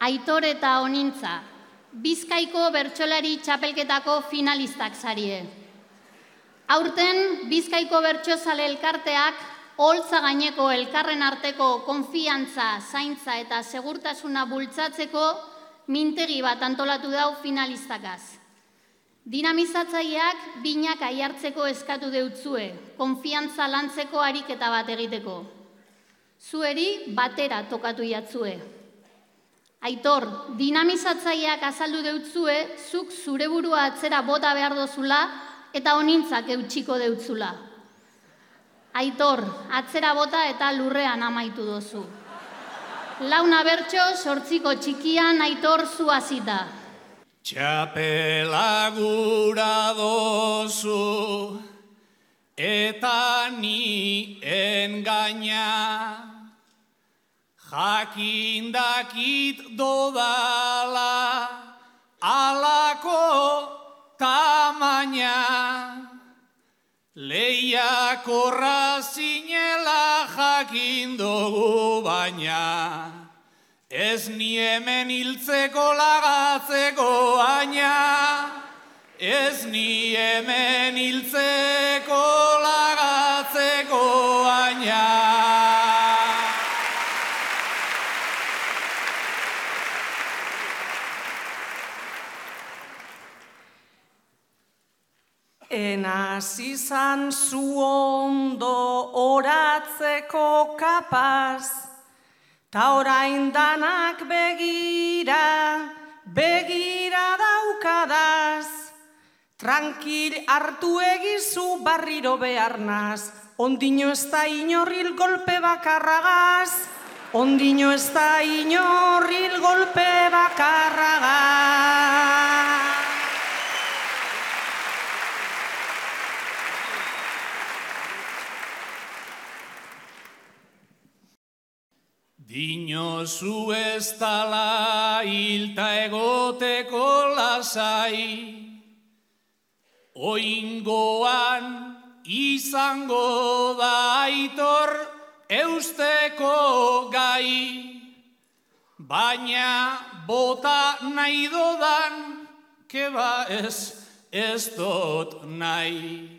Aitor eta Onintza, Bizkaiko bertsolari txapelketako finalistak zarie. Aurten, Bizkaiko bertsozale elkarteak oholtza gaineko elkarren arteko konfiantza, zaintza eta segurtasuna bultzatzeko mintegi bat antolatu dau finalistakaz. Dinamizatzaileak binak aiartzeko eskatu deutzue, konfiantza lantzeko ariketa bat egiteko. Zueri batera tokatu jatzue. Aitor, dinamizatzaileak azaldu deutzue, zuk zure burua atzera bota behar dozula eta Onintzak eutxiko deutzula. Aitor, atzera bota eta lurrean amaitu dozu. Launa bertso, 8 txikian Aitor zu hasita. Txapela gura dozu eta ni engaina, jakindakit dodala alako tamaina, lehiakorra zinela jakindogu baina, ez ni hemen hiltzeko lagatzeko aina, ez ni hemen hiltzeko lagatzeko aina. Enaz izan zu ondo oratzeko kapaz, ta orain danak begira daukadaz. Tranquil hartu egizu barriro beharnaz, ondino ez da inorril golpe bakarragaz, ondino ez da inorril golpe bakarragaz. Dinozu ez dala hilta egoteko lasai, oingoan izango da Aitor eusteko gai, baina bota nahi dodan, keba ez dot nahi.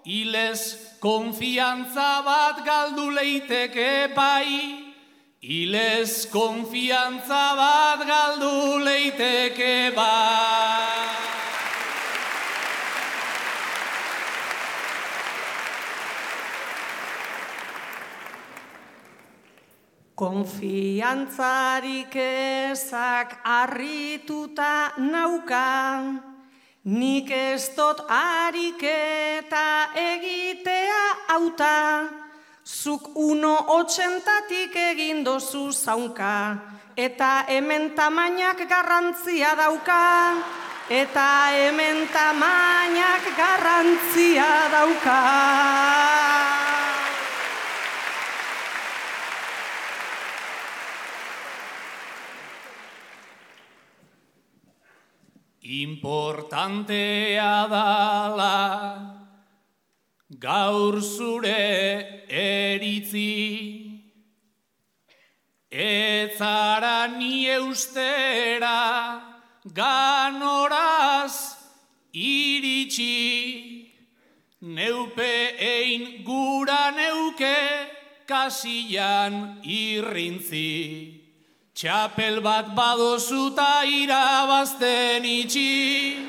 Hilez konfiantza bat galdu leiteke bai, hilez konfiantza bat galdu leiteke bai. Konfiantzarik ezak harrituta nauka, nik ez dot ariketa egitea auta, zuk 1,80tik egin dozu zaunka, eta hemen tamainak garrantzia dauka, eta hemen tamainak garrantzia dauka. Importantea dala gaur zure eritzi, ez zara ni eustera ganoraz iritsi, neupe ein gura neuke kasian irrintzi. Txapel bat badozuta irabazten itxi,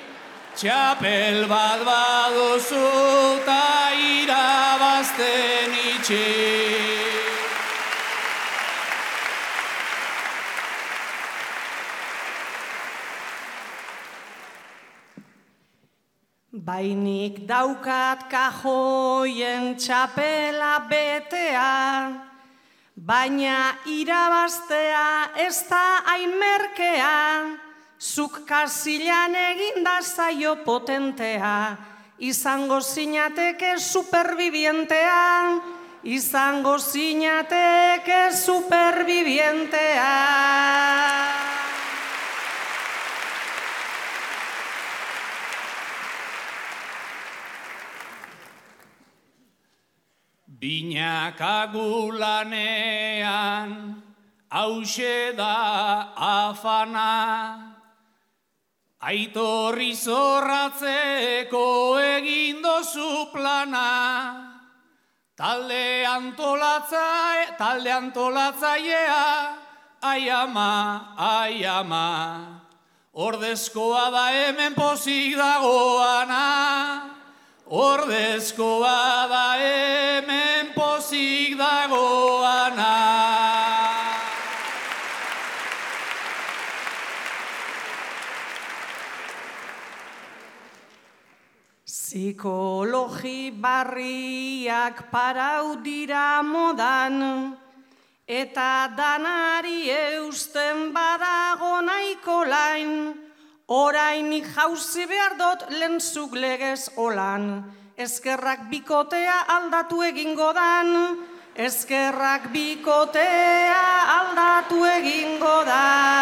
txapel bat badozuta irabazten itxi. Bainik daukat kajoien txapela betea, baina irabaztea ez da hain merkea, zuk kasilan eginda zaio potentea, izango zinateke superbibientea, izango zinateke superbibientea. Binakagulanean hause da afana. Aitorri zorratzeko egin dozu plana. Talde antolatzailea, ai ama, ai ama. Ordezkoa da hemen pozik dagoana. Ordezkoa da hemen pozik dagoana. Psikologi barriak parau dira modan, eta danari eusten badago nahiko lain, orainik jauzi behar dut lentzuk legez olan, eskerrak bikotea aldatu egingo dan, eskerrak bikotea aldatu egingo dan.